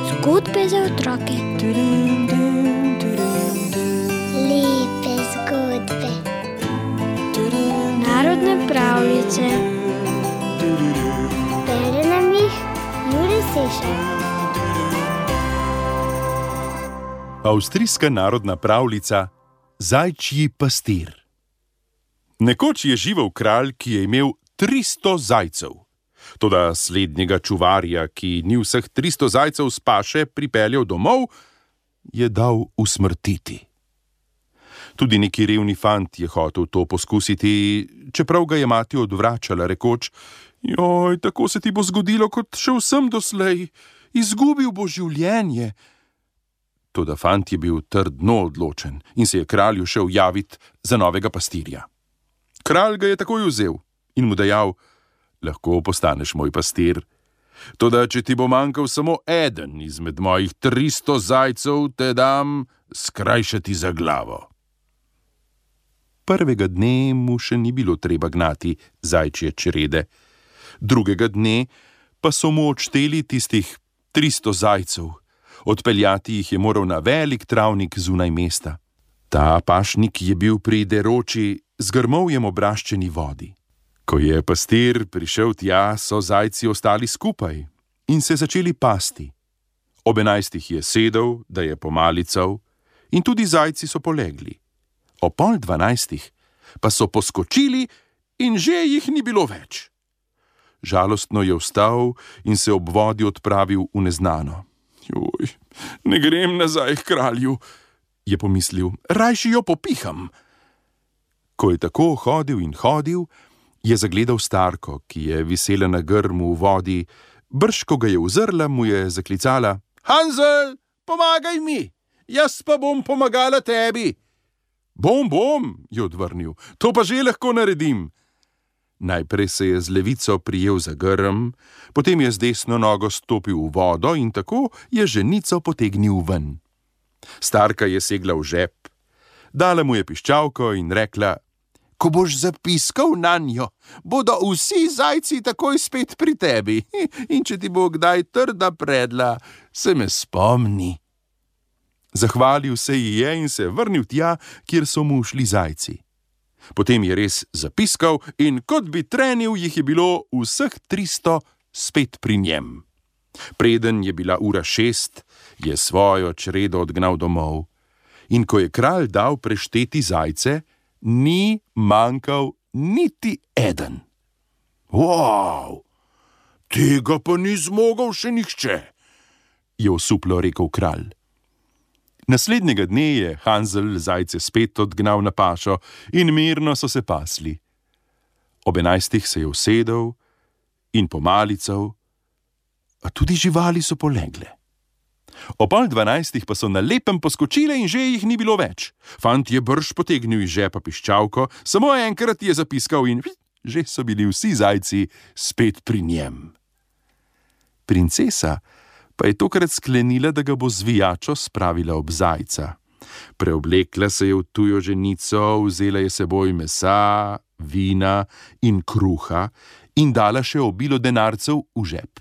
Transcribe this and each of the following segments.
Zgodbe za otroke. Lepe zgodbe. Narodne pravljice. Bere nam jih Jure Sešar. Avstrijska narodna pravljica Zajčji pastir. Nekoč je živel kralj, ki je imel 300 zajcev. Toda slednjega čuvarja, ki ni vseh 300 zajcev s paše pripeljal domov, je dal usmrtiti. Tudi neki revni fant je hotel to poskusiti, čeprav ga je mati odvračala, rekoč: "Joj, tako se ti bo zgodilo, kot še vsem doslej. Izgubil bo življenje." Toda fant je bil trdno odločen in se je kralju šel javit za novega pastirja. Kralj ga je takoj vzel in mu dejal: "Lahko postaneš moj pastir. Toda, če ti bo manjkal samo eden izmed mojih 300 zajcev, te dam skrajšati za glavo." Prvega dne mu še ni bilo treba gnati zajčje črede, drugega dne pa so mu odšteli tistih 300 zajcev. Odpeljati jih je moral na velik travnik zunaj mesta. Ta pašnik je bil pri deroči, z grmovjem obraščeni vodi. Ko je pastir prišel tja, so zajci ostali skupaj in se začeli pasti. Ob 11 je sedel, da je pomalical, in tudi zajci so polegli. O 11:30 pa so poskočili in že jih ni bilo več. Žalostno je vstal in se ob vodi odpravil v neznano. "Joj, ne grem nazaj k kralju," je pomislil, "rajši jo popiham." Ko je tako hodil in hodil, je zagledal starko, ki je visela na grmu v vodi. Brž ko ga je uzrla, mu je zaklicala: "Hansel, pomagaj mi, jaz pa bom pomagala tebi." Bom, je odvrnil, "to pa že lahko naredim." Najprej se je z levico prijel za grm, potem je z desno nogo stopil v vodo in tako je ženico potegnil ven. Starka je segla v žep, dala mu je piščalko in rekla: "Ko boš zapiskal nanjo, bodo vsi zajci takoj spet pri tebi, in če ti bo kdaj trda predla, se me spomni." Zahvalil se ji je in se vrnil tja, kjer so mu šli zajci. Potem je res zapiskal in kot bi trenil, jih je bilo vseh 300 spet pri njem. Preden je bila ura 6, je svojo čredo odgnal domov. In ko je kralj dal prešteti zajce, ni manjkal niti eden. "Wow, tega pa ni zmogel še nihče," je osuplo rekel kralj. Naslednjega dne je Hansel zajce spet odgnal na pašo in mirno so se pasli. Ob 11 se je usedel in pomalical, a tudi živali so polegle. O 11:30 pa so na lepem poskočile in že jih ni bilo več. Fant je brž potegnil iz žepa piščalko, samo enkrat je zapiskal in že so bili vsi zajci spet pri njem. Princesa pa je tokrat sklenila, da ga bo zvijačo spravila ob zajca. Preoblekla se je v tujo ženico, vzela je seboj mesa, vina in kruha in dala še obilo denarcev v žep.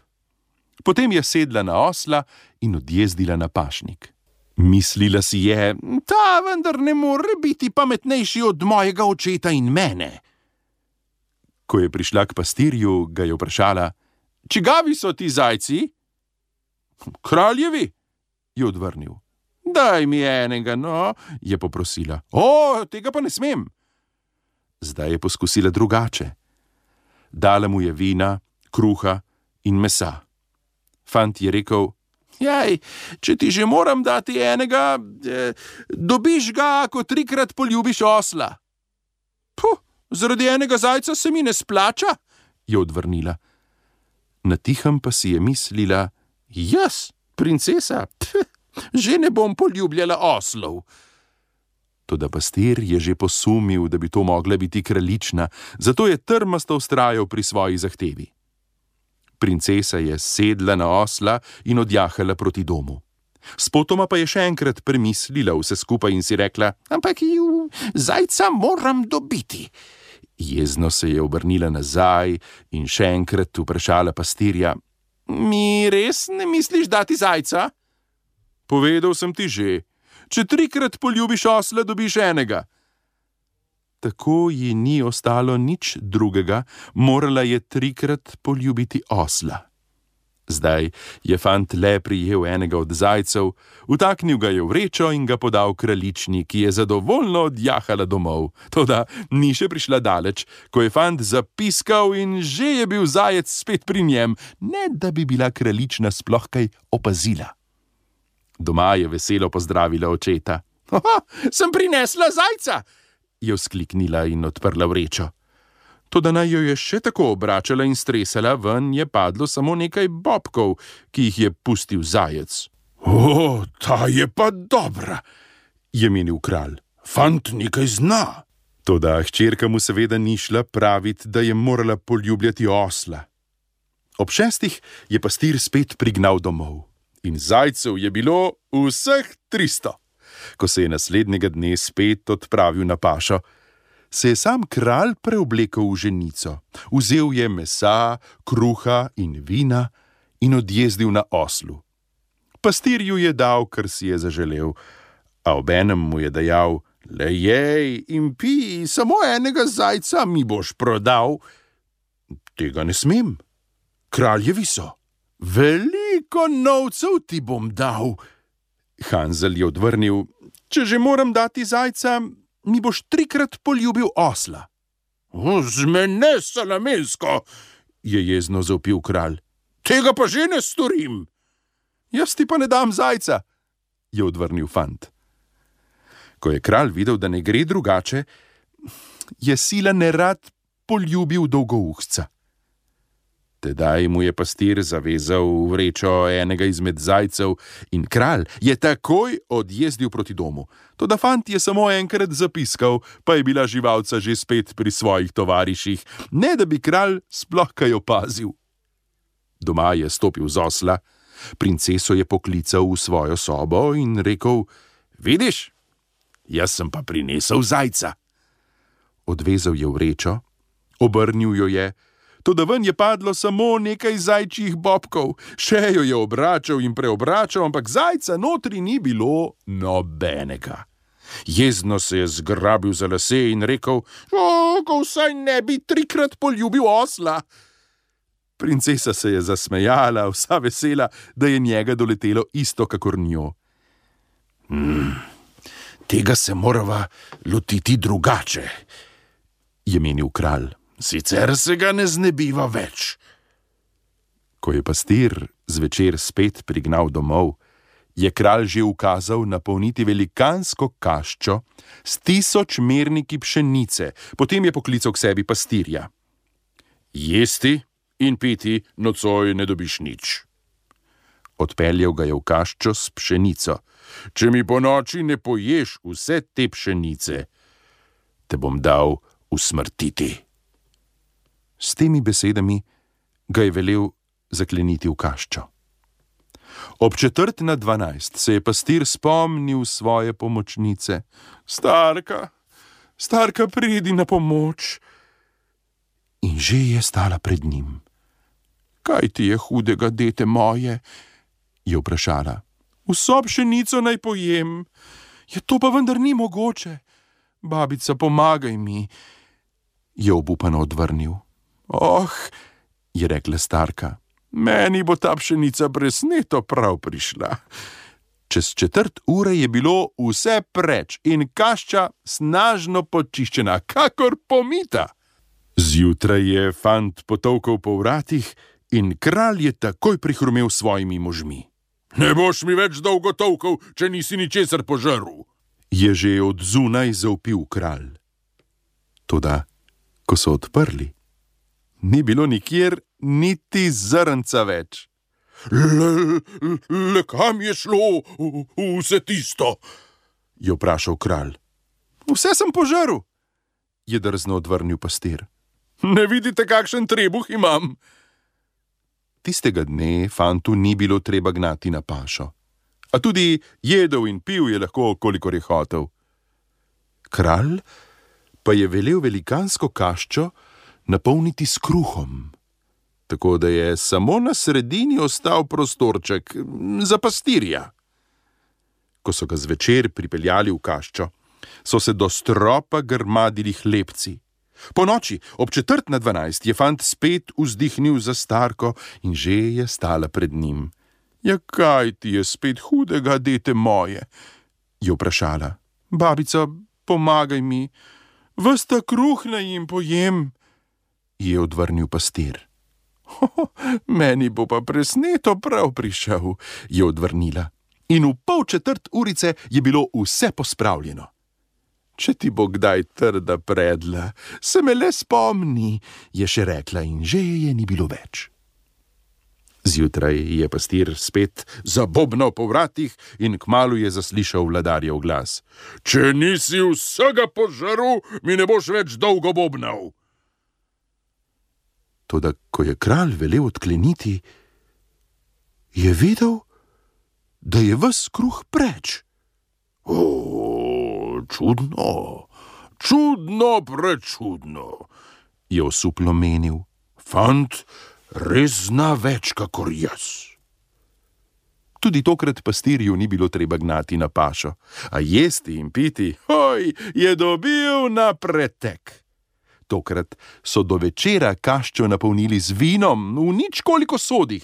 Potem je sedla na osla in odjezdila na pašnik. Mislila si je: "Ta vendar ne more biti pametnejši od mojega očeta in mene." Ko je prišla k pastirju, ga je vprašala: "Čigavi so ti zajci?" "Kraljevi," je odvrnil. "Daj mi enega, no," je poprosila. "O, tega pa ne smem." Zdaj je poskusila drugače. Dala mu je vina, kruha in mesa. Fant je rekel: "Jaj, če ti že moram dati enega, dobiš ga, ko 3-krat poljubiš osla." "Puh, zaradi enega zajca se mi ne splača," je odvrnila. Natihem pa si je mislila: "Jaz, princesa, že ne bom poljubljala oslov." Toda pastir je že posumil, da bi to mogla biti kraljična, zato je trmasto vztrajal pri svoji zahtevi. Princesa je sedla na osla in odjahala proti domu. Spotoma pa je še enkrat premislila vse skupaj in si rekla: "Ampak zajca moram dobiti." Jezno se je obrnila nazaj in še enkrat vprašala pastirja: Mi res ne misliš dati zajca? Povedal sem ti že, če 3-krat poljubiš osla, dobiš enega. Tako ji ni ostalo nič drugega, morala je 3-krat poljubiti osla. Zdaj je fant le prijel enega od zajcev, vtaknil ga je v vrečo in ga podal kraljični, ki je zadovoljno odjahala domov. Toda ni še prišla daleč, ko je fant zapiskal in že je bil zajec spet pri njem, ne da bi bila kraljična sploh kaj opazila. Doma je veselo pozdravila očeta. Sem prinesla zajca, je vzkliknila in odprla vrečo. Toda naj jo je še tako obračala in stresala, ven je padlo samo nekaj bobkov, ki jih je pustil zajec. Ta je pa dobra, je menil kralj. Fant nekaj zna. Toda hčerka mu seveda ni šla pravit, da je morala poljubljati osla. Ob 6 je pastir spet prignal domov. In zajcev je bilo vseh 300. Ko se je naslednjega dne spet odpravil na pašo, se je sam kralj preoblekel v ženico. Vzel je mesa, kruha in vina in odjezdil na oslu. Pastirju je dal, kar si je zaželel, a obenem mu je dejal: Le jej in pij, samo enega zajca mi boš prodal. Tega ne smem. Kralj je viso. Veliko novcev ti bom dal. Hanzel je odvrnil: Če že moram dati zajca, mi boš 3-krat poljubil osla. Zmene salamensko, je jezno zavpil kralj. Tega pa že ne storim. Jaz ti pa ne dam zajca, je odvrnil fant. Ko je kralj videl, da ne gre drugače, je sila nerad poljubil dolgouhca. Tedaj mu je pastir zavezal v vrečo enega izmed zajcev in kralj je takoj odjezdil proti domu. Toda fant je samo enkrat zapiskal, pa je bila živalca že spet pri svojih tovariših, ne da bi kralj sploh kaj opazil. Doma je stopil z osla, princeso je poklical v svojo sobo in rekel: Vidiš, jaz sem pa prinesel zajca. Odvezal je vrečo, obrnil jo je, toda ven je padlo samo nekaj zajčjih bobkov. Še jo je obračal in preobračal, ampak zajca notri ni bilo nobenega. Jezno se je zgrabil za lase in rekel: Ko vsaj ne bi 3-krat poljubil osla. Princesa se je zasmejala, vsa vesela, da je njega doletelo isto kakor njo. Tega se morava lotiti drugače, je menil kralj. Sicer se ga ne znebiva več. Ko je pastir zvečer spet prignal domov, je kralj že ukazal napolniti velikansko kaščo s 1000 merniki pšenice, potem je poklical k sebi pastirja. Jesti in piti nocoj ne dobiš nič. Odpeljal ga je v kaščo s pšenico. Če mi po noči ne poješ vse te pšenice, te bom dal usmrtiti. S temi besedami ga je velel zakleniti v kaščo. Ob 11:45 se je pastir spomnil svoje pomočnice. Starka, pridi na pomoč. In že je stala pred njim. Kaj ti je hudega, dete moje? Je vprašala. Vso pšenico naj pojem. Je to pa vendar ni mogoče. Babica, pomagaj mi, je obupano odvrnil. Je rekla starka, meni bo ta pšenica presneto prav prišla. Čez 1/4 ure je bilo vse preč in kašča snažno počiščena, kakor pomita. Zjutraj je fant potolkal po vratih in kralj je takoj prihrumel s svojimi možmi. Ne boš mi več dolgo tolkal, če nisi ničesar požrl, je že od zunaj zavpil kralj. Toda, ko so odprli, ni bilo nikjer niti zrnca več. Le kam je šlo vse tisto? Je vprašal kralj. Vse sem požrl, je drzno odvrnil pastir. Ne vidite, kakšen trebuh imam? Tistega dne fantu ni bilo treba gnati na pašo, a tudi jedel in pil je lahko, kolikor je hotel. Kralj pa je velel velikansko kaščo napolniti s kruhom, tako da je samo na sredini ostal prostorček za pastirja. Ko so ga zvečer pripeljali v kaščo, so se do stropa grmadili hlebci. Ponoči, ob 11:45, je fant spet vzdihnil za starko in že je stala pred njim. Ja, kaj ti je spet hudega, dete moje? Je vprašala. Babica, pomagaj mi, ves ta kruh naj jim pojem, je odvrnil pastir. Meni bo pa presneto prav prišel, je odvrnila. In v 3:15 je bilo vse pospravljeno. Če ti bo kdaj trda predla, se me le spomni, je še rekla in že je ni bilo več. Zjutraj je pastir spet zabobnal po vratih in kmalu je zaslišal vladarjev glas. Če nisi vsega požaril, mi ne boš več dolgo bobnal. Toda ko je kralj velel odkleniti, je vedel, da je ves kruh preč. Čudno, prečudno, je osuplo menil. Fant res zna več kakor jaz. Tudi tokrat pastirju ni bilo treba gnati na pašo, a jesti in piti, je dobil na pretek. Tokrat so do večera kaščo napolnili z vinom v nič koliko sodih.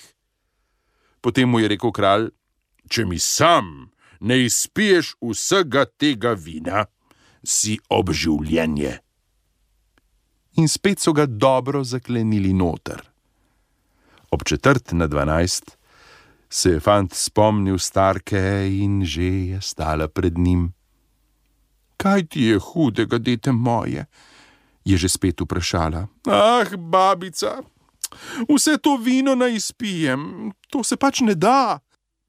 Potem mu je rekel kralj, če mi sam ne izpiješ vsega tega vina, si obživljenje. In spet so ga dobro zaklenili noter. Ob 11:45 se je fant spomnil starke in že je stala pred njim. Kaj ti je hudega, dete moje? Je že spet vprašala. Babica, vse to vino naj izpijem, to se pač ne da.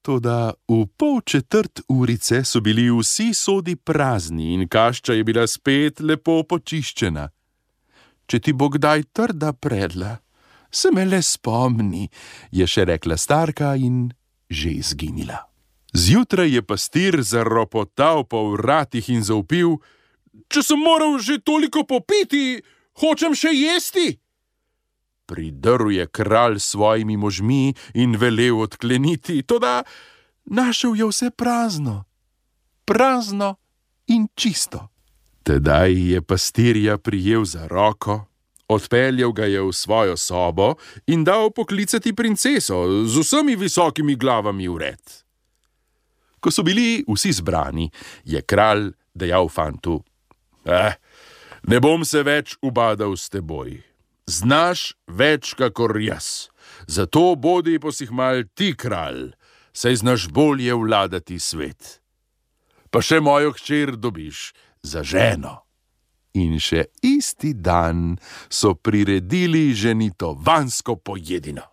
Toda v 3:15 so bili vsi sodi prazni in kašča je bila spet lepo počiščena. Če ti bo kdaj trda predla, se me le spomni, je še rekla starka in že izginila. Zjutraj je pastir zaropotal po vratih in zavpil, če sem moral že toliko popiti, hočem še jesti. Pridrl je kralj s svojimi možmi in velel odkleniti, toda našel je vse prazno in čisto. Tedaj je pastirja prijel za roko, odpeljal ga je v svojo sobo in dal poklicati princeso z vsemi visokimi glavami vred. Ko so bili vsi zbrani, je kralj dejal fantu, ne bom se več ubadal s teboj. Znaš več kakor jaz, zato bodi posihmal ti kralj, saj znaš bolje vladati svet. Pa še mojo hčer dobiš za ženo. In še isti dan so priredili ženitovansko pojedino.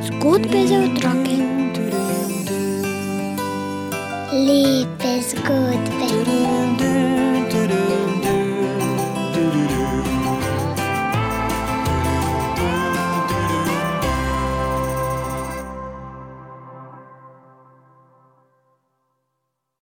Zgodbe za otroke. Lepe zgodbe.